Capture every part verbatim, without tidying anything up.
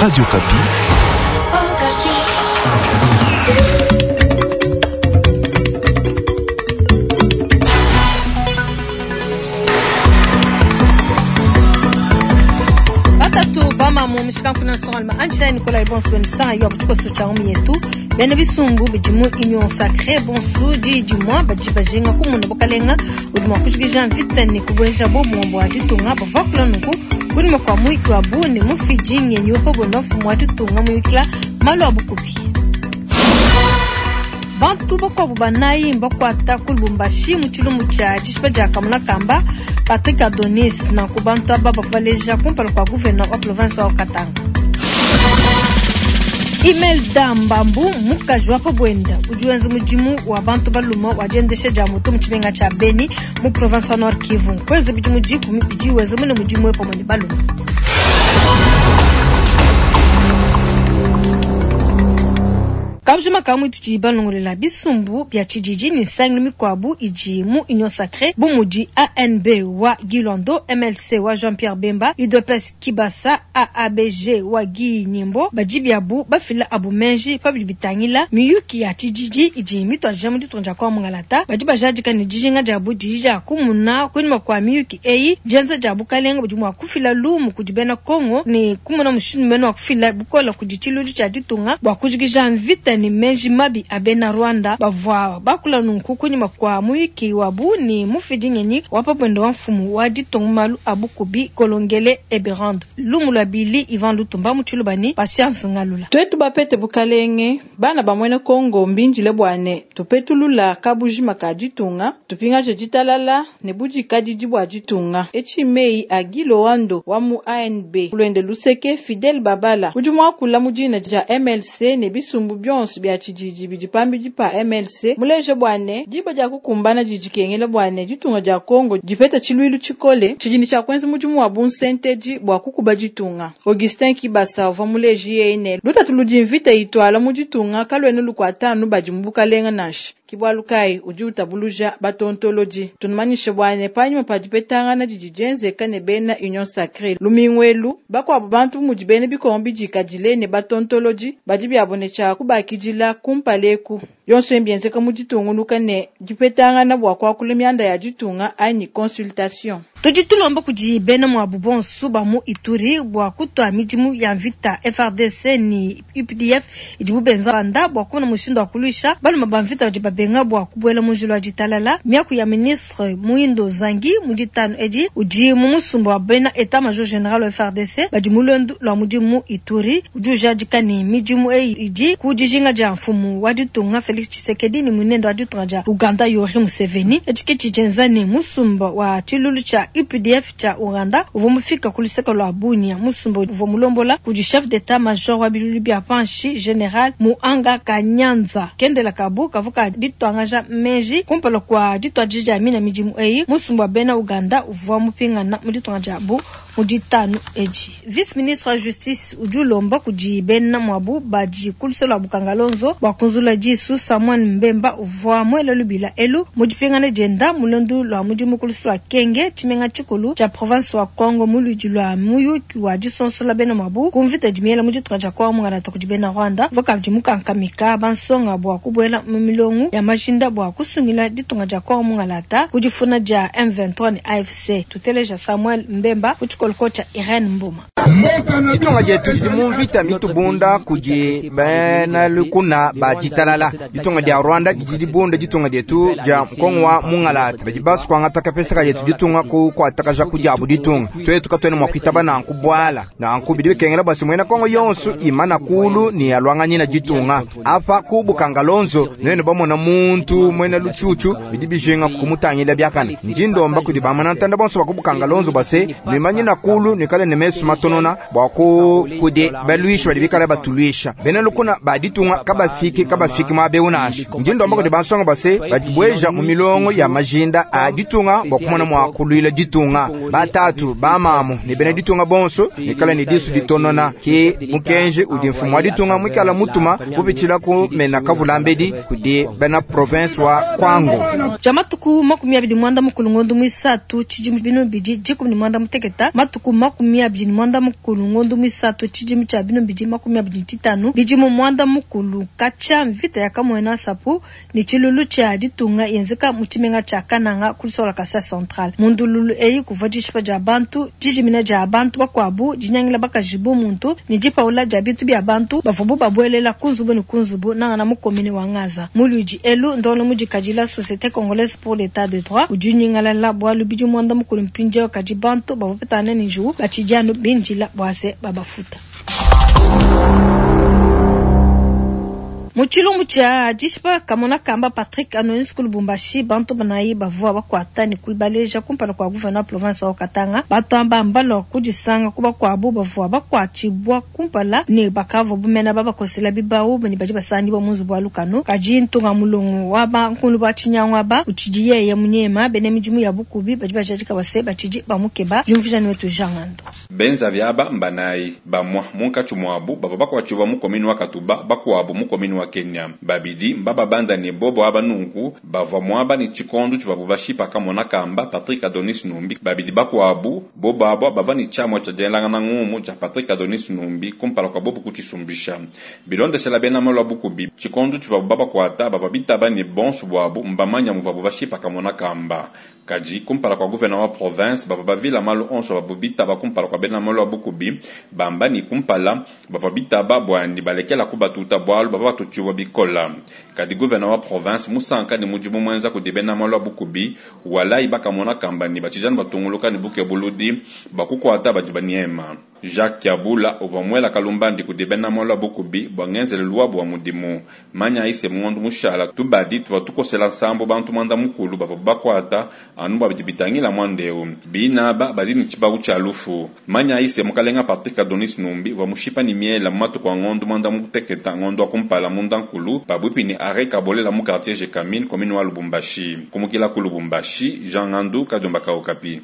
Radio Okapi. Batatu bamamu mishikanfuna nsongalima anjila Nicolas bonso wenu yo butikoso cha yetu bena bisumbu bidimu union sacrée bonsu di dimwa badi bajinga kumuna bukalenga udi mua kujikija mvita ne kubueja bobu bua ditunga bavua kula nunku kunyima kua muyiki wa bu ne mufidi ngenyi pa buenda mfumu wa ditunga muyikila malu a bukubi. Bantu bakuabu banayi mbakuata ku Lubumbashi mu tshilumbu tshia dishipa dia Kamuna Kamba Patrick Adonis nanku bantu aba bavua baleja kumpala kua gouverneur wa province wa Katanga. Imelda Mbambu mukaji wa pabwenda udi wenza mudimu wa bantu baluma wa diendesha dia moto mu tshimenga tshia Beni mu province wa Nord Kivu kweza bidimu dikumi bidi wenza mune mudimu pamue ne baluma. Kabujima kamwe tudi balongolela bisumbu bya tshididi ne nsangilu mikuabu idi mu Union Sacrée bu mudi A N B wa Guy Loando, M L C wa Jean-Pierre Bemba, U D P S Kibasa, A A B G wa Guy Nyembo, badi biabu bafila abu menji pabidi bitangila miyuki ya tshididi idi mitwaja mu ditunga dia kwa Mungalata, badi bajadika ne dijinga dia bu didi dia kumuna kunyima kwa miyuki eyi bianza dia bukalenga budi mua kufila lumu kudi bena Kongo ne kumuna mushindu mene wa kufila bukola kudi tshilulu tshia ditunga bua kujikija mvita ni menji mabi abena Rwanda bavua bakula nunku kunyima kwa muyiki wabu ni mufidi ngenyi wa pabwendo wa mfumu wa ditunga malu abukubi Kolongele Eberande lumu lwa Bili Ivan Lutumba mu Tshilubani Patience Ngalula. Twetu bapete bukalenge bana bamwene Kongo mbinjile bwane tupetulula kabujima ka ditunga tupingaje ditalala ne budikadidi bua ditunga echi mei a Guy Loando wa mu A N B kulwende luseke Fidel Babala udi muakula mu dina dia M L C ne bisumbu byonso bya tshididi bidi pambidi pa M L C muleje bwane diba dia kukumbana didikengela bwane ditunga dia Kongo dipeta tshiluilu tshikole tshidini tshia kuenza mudimu wa bunsenteji bua kukuba ditunga. Augustin Kibasa uvua muleji yene lutatu ludi mvita itwala mu ditunga kalwene lukuatanu badi mu bukalenga nansha kibwalukai udi utabuluja batontoloji tunumanyishe bwane panyima pa dipetangana didi dienzeka ne bena Union Sacrée lumingwelu bakuabu bantu mudi bene bikongo bidikadile ne batontoloji badi biabone tshia kubakidila kumpaleku yonso embienzeka mu ditungunuka ne dipetangana bua kuakula mianda ya ditunga anyi consultation. Tudi tulomba kudi bena mwabu bonso ba mu Ituri bua kutua midimu ya mvita F R D C ni U P D F idibu benza banda bua kumona mushindu wa kuluisha baluma ba mvita badi babenga bua kubuela mu njila wa ditalala. Miaku ya ministre Muindo Zangi mu ditanu edi udi mu musumba wa bena etat major general wa F R D C badi mu lwendu lwa mudimu Ituri udi ujadika ni midimu eyi idi ku dijinga dia mfumu wa ditunga Felix Tshisekedi ni munendo wa ditunga dia Uganda Yoweri Museveni etshiketi tshienza ni musumba wa tshilulu tshia U P D F cha Uganda uvua mufika ku luseke lwa Bunia. Musumba uvua mulombola kudi chef d'état major wa bilulu bia panshi general Muanga Kanyanza kendela kabu kavuka ditwangaja menji kumpala kwa ditwadija dia mina midimu eyi. Musumba wa bena Uganda uvua mupingana mu ditunga dia bu mu ditanu edi. Vice ministre wa justice udi ulomba kudi bena mwabu badi ku luseke lwa Bukangalonzo bua kunzula disu Samuel Mbemba uvua muele lubila elu mu dipingana dienda mulendu lwa mudimu ku luseke lwa Kenge tshimenga tshikulu tshia province wa Kongo mu ludi lwa muyuki wa disonsola bena mwabu ku mvita dimiela mu ditunga dia Kongo mungalata kudi bena Rwanda vakabidi mukankamika bansonga bua kubuela mu milongo ya majinda bua kusungila ditunga dia Kongo mungalata ku difuna dia M vingt-trois ne A F C. Tuteleja Samuel Mbemba ku tshikoloko tshia Irene Mboma. Ditunga dietu didi mu mvita mitubunda kudi bena lukuna ba ditalala. Ditunga dia Rwanda didi dibunda ditunga dietu dia Kongo wa mungalata badi basukuangata kapesa ka dietu ditunga ku kuatakaja kudiabu ditunga twetu katwene mua kuitaba nanku bwala nanku bidi bikengela basi mwena Kongo yonso imana kulu ni alwanganyina ditunga apa ku Bukangalonzo nene bamona muntu mwena lutshutshu bidi bijinga kumutangila byakana ndindomba kudi bamana ntanda bonso ba ku Bukangalonzo base nimanyina kulu nikale ne mesu matonona bua ku kudi baluisha badi bikala batuluisha bena lukuna ba ditunga kabafiki kabafiki mwa beunasha ndindomba kudi bansonga base badibweja mu milongo ya majinda a ditunga bua kumona mua kuluila ditunga batatu bamamu ne bena ditunga bonso nikala ne disu ditonona ke mukenje udi mfumu wa ditunga mwikala mutuma kupitshila ku mena kavulambedi kudi bena province wa Kwango. Jamatuku makumi abidi mwanda mukulu ngondo mwisatu tshidimu binu bidi dikumi ne mwanda muteketa matuku makumi abidi ne mwanda muanda mukulu ngondu muisatu tshidimu tshia binunu bibidi makumi abidi ne tshitanu bidimu muanda mukulu katshia mvita ya Kamuena Nsapu ne tshilulu tshia ditunga yenzeka mu tshimenga tshia Kananga ku luseke lua Kasai Central. Mu ndululu eyi kuvua dishipa dia bantu, dijimina dia bantu bakuabu, dinyangila bakaji bu muntu ne dipaula dia bintu bia bantu bavuabu babuelela ku nzubu ne ku nzubu nangana mu commune wa Ngaza. Mu luidi elu ndongolo mudikadila Société Congolaise pour l'État de droit udi unyingalala bualu bidimu muanda mukulu mpindieu kadi bantu bavua bapetangana ne njiwu batshidi anu bindila bua se babafuta. Mu tshilumbu tshia dishipa kamona kamba Patrick Adonis ku Lubumbashi, bantu banayi bavua bakuata ne kubaleja kumpala kua gouverneur wa province wa Katanga. Bantu aba mbalua kudisanga ku bakuabu bavua bakuatshibua kumpala ne bakavua bumena babakosela bibawu ne badi basangibua mu nzubu wa lukanu. Kadi ntunga mulongo wa bankulu ba tshinyangu aba utshidi yeye munyema bena midimu ya bukubi badi bajadika base batshidi bamukeba. Diumvuija ne wetu Jean Ngando. Benza vyaba mbanayi bamwa munkatshi muabu bavua bakuatshibua mu commune wa Katuba, bakuabu mu commune wa Kenya. Babidi mbababanda ne bobo aba nunku bavua muaba ne tshikondo tshivuabu bashipa kamona kamba Patrick Adonis Numbi. Babidi bakuabu bobo aba bavua ne tshiamua tshia dielangana ngumu tshia Patrick Adonis Numbi kumpala kua bobo kutshisumbisha. Bilondeshela bena malu a bukubi tshikondo tshivuabu babakuata bavua bitaba ne bonso buabu mbamanya muvuabu bashipa kamona kamba. Kadi kumpala kua gouverneur wa province bavua bavila malu onso babu bitaba kumpala kua bena malu a bukubi bamba ni kumpala bavua bitaba bua ni balekela kubatuta bualu bavua batutshiwa bikola. Kadi gouverneur wa province musanka ne mudimu mwenza kudi bena malu a bukubi walai bakamona kamba ni batshijana batunguluka ne buke buludi bakukuata badi baniema. Jacques Kiabula uvua muela kalumbandi kudi bena malu a bukubi bua ngenzelu luabu wa mudimu. Manya ise mundu mushala tubadi tuvua tukosela nsambo bantu mwanda mukulu bavua bakuata anu bua bidi bitangila mwandeu. Binaba badi ne tshibawu tshia lufu. Manya ise mukalenga Patrick Adonis Numbi uvua mushipa ni miela mu matuku a ngondu mwanda muteketa ngondu wa kumpala munda nkulu pabuipi ni arrêt Kabolela mu quartier Gécamines commune wa Lubumbashi. Kumukila ku Lubumbashi, Jean Ngandu Kadiomba ka Okapi.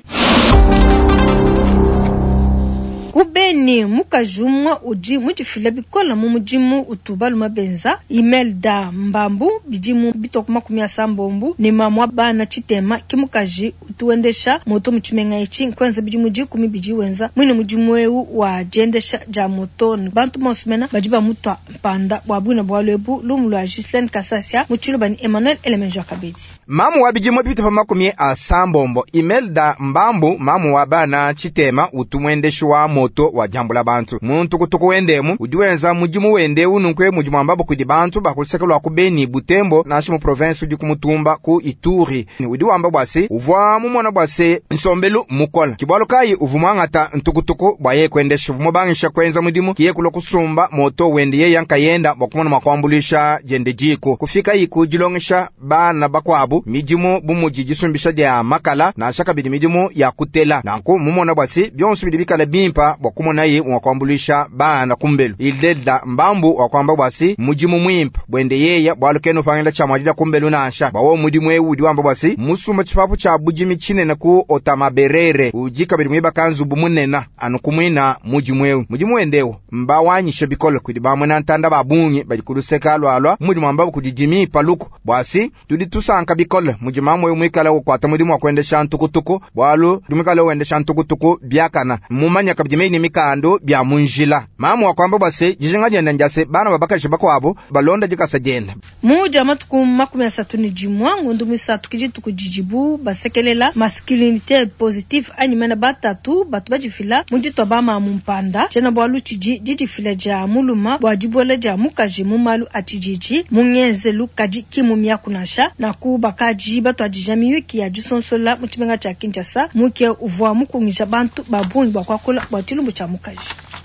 Kubeni mukajumwa udi mudifila bikola mu mudimu utubalu mabenza Imelda Mbambu bidimu bitoku makumi asambombo ne mamwa bana tshitema ki mukaji utuendesha moto mu tshimenga etshi nkwenza bidimu dikumi bidi wenza mwine mudimu eu wa diendesha dia moto bantu bonso mena badi bamutwa mpanda bua bwina bua lwebu lumu lwa Gislaine Kasasia mu tshiluba ni Emmanuel Elemenjo Kabedi. Mamu wa bidimu bitopa makumi asambombo Imelda Mbambu mamu wa bana tshitema utumwendeshi wa moto wa jambula bantu muntu kutuku wendemu udi wenza mudimu wende ununkwe mudimu ambabo kudi bantu bakuluseka lwa kubeni Butembo nashi mu province udi kumutumba ku Ituri udi wamba bwase uvwa mumona bwase nsombelu mukola kibwalo kai uvumwangata ntukutuku bwa ye kwendesha vumobangisha kwenza mudimu kiye kulo kusumba moto wende ye yankayenda bwakumona makwambulisha jende jiko kufika iku jilongesha bana bakwabu midimu bumuji jisumbisha dia makala na shaka bidi midimu ya kutela nanku mumona bwase byonso bidi bikala bimpa bwakumona ye mwakwambulisha bana kumbelu Imelda Mbambu wakwamba bwasi mudimu mwimpa bwende yeya bwalukeno pangela cha mwadila kumbelu nansha bawo mudimu ewu udi wamba bwasi musumba chipapu cha budimi chinene ku otamaberere ujika bidi mwiba kanzu bumunena anu kumwina mudimu ewu mudimu wendewo mbawanyisha bikolo kudi bamwe na ntanda babungi bali kuluseka lwalwa mudimu ambabo kudidimi paluku bwasi tudi tusanka bikolo mudimu amwe mwikala ukwata mudimu wakwendesha ntukutuku bwalu dumikala wendesha ntukutuku byakana mumanya kabidi ni mikando bya munjila mamu wakwamba bwase jijinga jenda njase bana babakashi bakwabo balonda jikasa jenda muja matuku makumi asatu ni jimwa ngondu misatu kijituku jijibu basekelela masculinité positive anyimena batatu batu bajifila mujitwa bama mumpanda chena bwalu chiji jijifila ja muluma bwa jibola ja mukaji mumalu atijiji mungenzelu kadi kimu miakunasha na kubakaji batu ajija miyuki ya jisonsola muchimenga cha Kinshasa muke uvwa mukungisha bantu babungi bwa kwakula bwa chilumbu cha mukaji.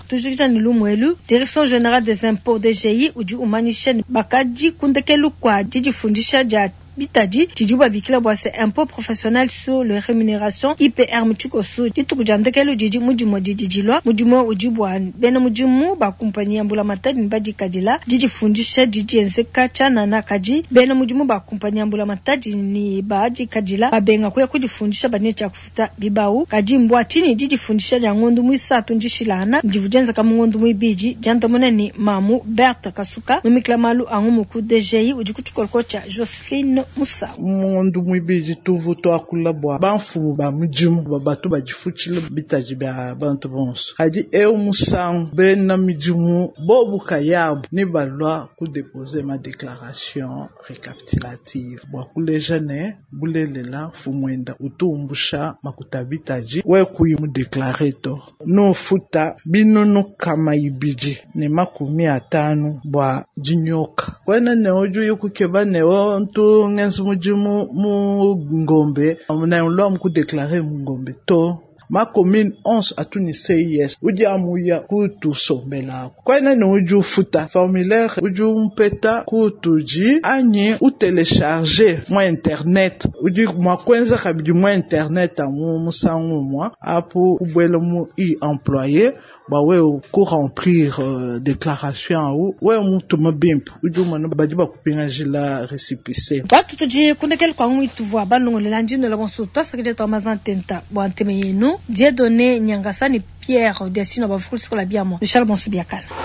Tujikija ni lumwelu Direction Générale des Impôts D G I udi umanisha ni bakaji kundekelu kwa jijifundisha ja bitadi tijuba bikila bwa se impôt professionnel sur les rémunérations I P R mutshikosu dituku dia ndekelu didi mudimu dididilwa mudimu udi bwa bena mudimu ba kumpanyi ya mbula matadi ne badikadila didifundisha didienzeka tshianana kadi bena mudimu ba kumpanyi ya mbula matadi ne badikadila babenga kuya kudifundisha bane tshia kufuta bibau kadi mbwa tshini didifundisha dia ngondu muisatu ndishilana ndivudienzeka mu ngondu muibidi diandamuna ni mamu Berthe Kasuka mumikila malu angu muku D G I udi kutshikoloko tshia Jocelyn Jacqueline Musa. Mundu muibidi tuvu tuakula bua bamfumu ba mudimu ba batu badifutshila bitaji bia bantu bonso. Kadi eu musangu bena midimu bobu kayabu ni balwa kudeposer ma déclaration récapitulative bua kuleja ne bulelela mfumuenda utumbusha makuta bitaji we kuyi mudeklare to nufuta binunu kama ibidi ne makumi atanu bua dinyoka kwena ne udi uyi kukeba ne o ntu ngenza mudimu mu ngombe ne ulua mukudeklare mu ngombe to ma commune onze atuni C I S udi amuya kutusombelako kwena ne udi ufuta formulaire udi umpeta kutuji anyi utelecharge mwa internet udi mua kuenza kabidi mwa internet amu musangu umwa apo kubwela mu e-employé bua wewe kuremplir uh, déclaration au wewe mutuma bimpe udi umona badi bakupingajila récépissé. Batu tudi kundekela kwa ngwi tuvua balongolela ndinola bonso twasakidila twa mazantenta bua nteme yenu Dieudonné Nyangasani Pierre Desino bafukusikola biamo Michel Bonso biakala.